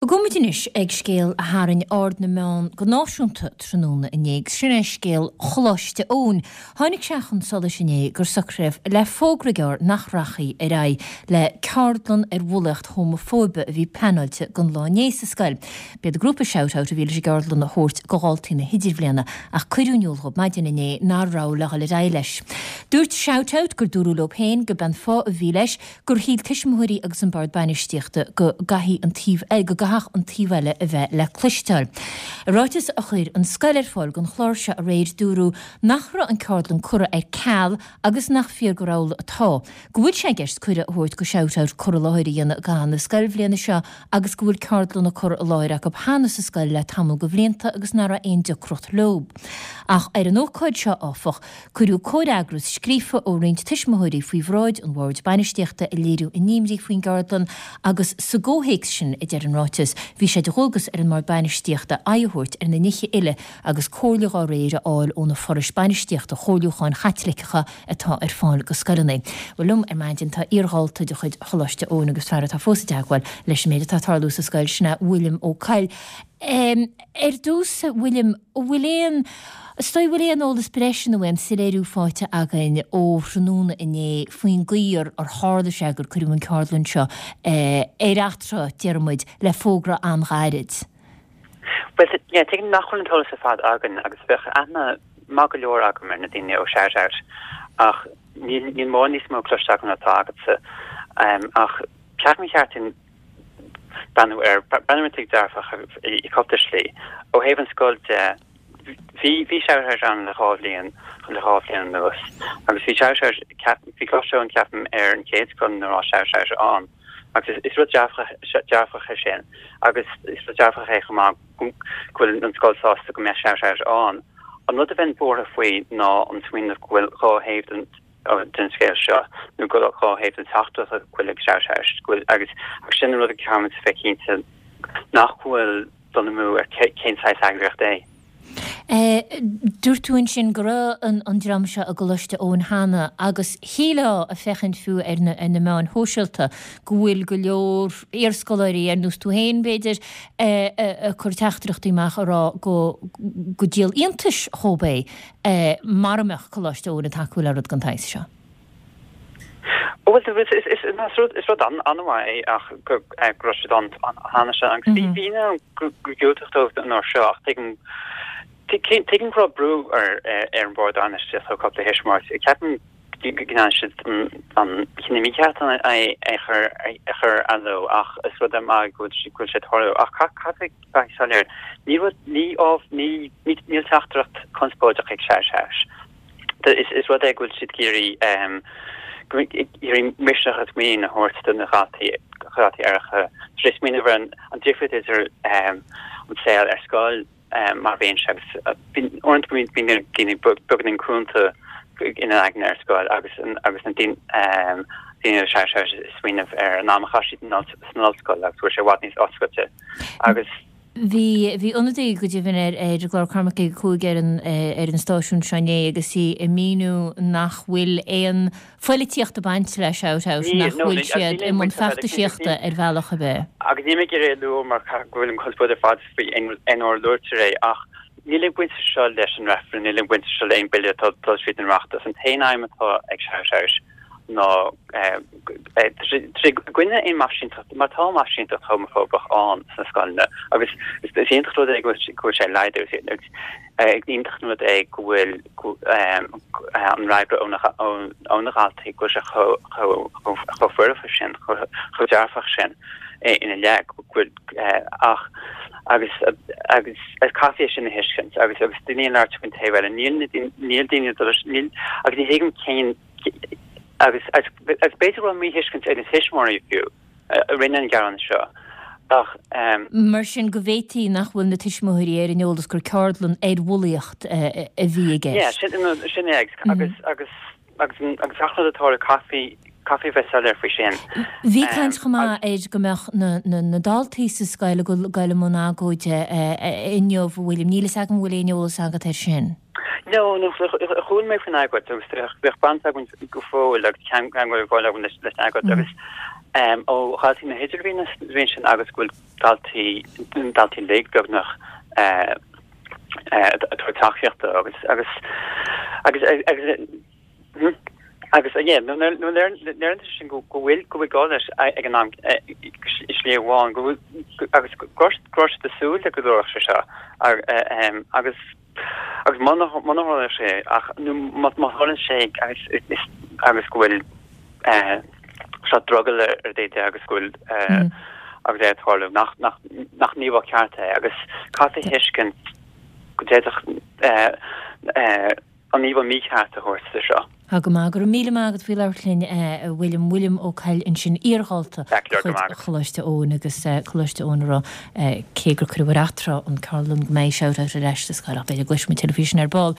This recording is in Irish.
Gabhfaidh muid anois ag scéal a tharraing aird na meán go náisiúnta tráthnóna inné, agus sin é scéal Choláiste Eoin. Tháinig sé chun solais inné gur socraíodh le fógra gearr nach rachfaí ar aghaidh le ceardlann ar bhulaíocht homafóibe a bhí pleanáilte don lá inné sa scoil. B'iad grúpa Shout Out a bhí leis an gceardlann a thabhairt go dhaltaí na hidirbhliana ach cuireadh in iúl dhóibh maidin inné nár raibh le dhul ar aghaidh leis. Dúirt Shout Out gur dúradh leo féin go b'é an fáth a bhí leis gur shíl tuismitheoirí agus an Bord Bainistíochta go gcaithfidh an taobh go gcaithfeadh an taobh eile a bheith le cloisteáil. I ráiteas a chuir an scoil ar fáil don chlár seo aréir dúradh nach raibh an ceardlann curtha ar ceal agus nach fíor gur amhlaidh atá go bhfuil sé i gceist cuireadh a thabhairt go Shout Out cur i láthair a dhéanamh i gcaitheamh na scoilbhliana seo agus go bhfuil ceardlanna curtha i láthair acu cheana sa scoil le tamall de bhlianta agus nach raibh aon deacracht leo. Ach ar an ócáid seo, áfach, Cuireadh comhfhreagras scríofa ó roinnt tuismitheoirí faoi bhráid an Bhoird Bainistíochta ag léiriú a n-imní faoin gceardlann agus sa gcomhthéacs sin, a deir an ráiteas, bhí sé de dhualgas ar an mBord Bainistíochta aghaidh a thabhairt ar na nithe uile agus comhairle dá réir a fháil ó na forais bainistíochta chomhairliúcháin Chaitliceacha atá ar fáil go scoileanna. Bhuel liom ar maidin tá iardhalta de chuid Choláiste Eoin agus fear atá fós i dteagmháil leis an méid atá ag tarlú sa scoil, sin é William Ó Coill. Ar dtús, a William, an bhfuil aon, is dóigh, an bhfuil aon eolas breise nó aon soiléiriú faighte againn ó thráthnóna inné faoin gcaoi ar ar tharla sé gur cuireadh an ceardlann seo ar atráth, déarfaidh muid, le fógra an-ghairid? Bhuel, yeah, tuigim nach bhfuil an t-eolas ar fad againn agus bheadh aithne maith go leor agam ar na daoine ó Shout Out ach níl, níl mórán níos mó cloiste agam ná atá agatsa. Ach ceapaim gur cheart dúinn breathnú air, breathnú ar an dearfach i cúpla slí. Ó thaobh an scoil de, bhí bhí Shout Out ann le dhá bhliain, le dhá bhliain anuas, agus bhí Shout Out, bhí Coláiste Eoin ceapaim ar an chéad scoil ina raibh Shout Out ann, agus is rud dearfach dearfach é sin, agus is rud dearfach é chomh maith go bhfuil an scoil sásta go mbeadh Shout Out ann. An rud a bheinn buartha faoi ná an smaoineamh go bhfuil dhá thaobh den den scéal seo, nó go dhá thaobh den teachtaireacht go bhfuil ag Shout Out, go bhfuil, agus agus sin an rud a caithfimid a bheith cinnte nach bhfuil dul amú ar cén saghas eagraíocht é. Dúirt tú ansin go raibh an dream seo i gColáiste Eoin cheana agus shílfeá, ag féachaint fiú ar na ar na meáin shóisialta, go bhfuil go leor iarscoláirí, ar nós tú féin b'fhéidir, ag cur teachtaireachtaí amach ag rá go go díol iontais dhóibh é. mara mbeadh Coláiste Eoin ag tacú le rud den tsaghas seo. Bhuel, is rud an-mhaith é ach go raibh siad ann cheana sin agus bhí daoine ann gur diúltaíodh dóibh an uair seo ach tuigim tuigim go raibh brú ar an bhord bainistíochta ó cúpla thuismitheoir. Ceapaim go ndearna siad an cinneadh mícheart é a chur ar athló ach is rud maith go bhfuil sé ag tarlú. Ach caithfidh bheith soiléir, ní rud, ní ábh, ní, níl teachtaireacht conspóideach ag Shout Out. Is rud é go bhfuil siad ag iarraidh, ag iarraidh misneach agus muinín a thabhairt do na dhaltaí, dhaltaí aeracha, tar éis smaoineamh ar an difríocht idir an saol ar scoil mar a bhíonn sé agus uaireanta bíonn daoine beagáinín cúnta ina n-aigne ar scoil agus agus na daoine daoine Shout Out ag smaoineamh ar an am a chaith siad san ollscoil agus go bhfuil sé i bhfad níos oscailte. Agus. Bhí, bhí ionadaí go deimhin ar ar an gclár Cormac ag 5 ar an ar an stáisiún seo inné agus í ag míniú nach bhfuil aon phoilitíocht ag baint le Shout Out, nach bhfuil siad i mbun feachtaisíochta ar bhealach ar bith. Agus níl mé ag iarraidh é a lua mar go bhfuil an conspóid ar fad faoi aon uair a luaitear é ach níl aon bhaint seo leis an reifreann, níl aon bhaint seo le aon bille atá ag dul tríd an Oireachtas. An t-aon aidhm atá ag Shout Out ná i gcoinne aon mheaisínteacht, mar tá meaisínteacht homafóbach ann sna scoileanna agus is iontach an rud é go bhfuil sé ag laghdú, is iontach an rud é go bhfuil an fhreagra ó na dhaltaí go bhfuil sé chomh foirfe sin, chomh dearfach sin ina leith, go bhfuil ach agus agus caithfidh é sin a thuiscint agus agus daoine ag labhairt faoin taobh eile, níl níl daoine níl agus ní thuigim cén Agus b'fhéidir go bhfuil míthuiscint ag na tuismitheoirí fiú a rinne an gearán seo ach. Mar sin go bhféadfaí nach bhfuil na tuismitheoirí ar an eolas gur ceardlann ar bhulaíocht a bhí i gceist. Yeah, sin é agus agus agus agus gach rud atá le caithfí caithfí bheith soiléir faoi sin. Bhí caint chomh maith ar go mbeadh na na daltaí sa scoil ag dul i mbun agóide inniu, a William. Níl fhios agam an bhfuil aon eolas agat air sin. No, no, chuala mé faoin agóid agus bheadh baint againn go fóill agus ceangal ag fáil againn leis an agóid agus. Ó dhaltaí na hidirbhliana sa bhliain sin agus go bhfuil daltaí, daltaí uilig beagnach ag tabhairt tacaíochta agus, agus, agus, agus, agus yeah, nó léiríonn sé sin go bhfuil, go bhfuil gá leis ag an am i slí amháin, go bhfuil, agus go raibh siad ag súil le go dtarlódh sé seo agus Agus muna tharlaíonn sé ach nó má tharlaíonn sé agus agus go bhfuil sórt drogall ar daoine de agus go bhfuil agus é ag tarlú nach nach nach íomhá ceart é agus caithfidh a thuiscint go d'fhéadfadh an íomhá mícheart a thabhairt de seo. Tá go maith. Go raibh míle maith agat faoi labhairt linn, a William. William Ó Coill ansin, iardhalta de chuid Choláiste Eoin agus Coláiste Eoin a rá cé gur cuireadh ar atráth an ceardlann go mbeidh shout out ar ais sa scoil ach b'fhéidir go gcloisfidh muid tuilleadh faoi sin ar ball.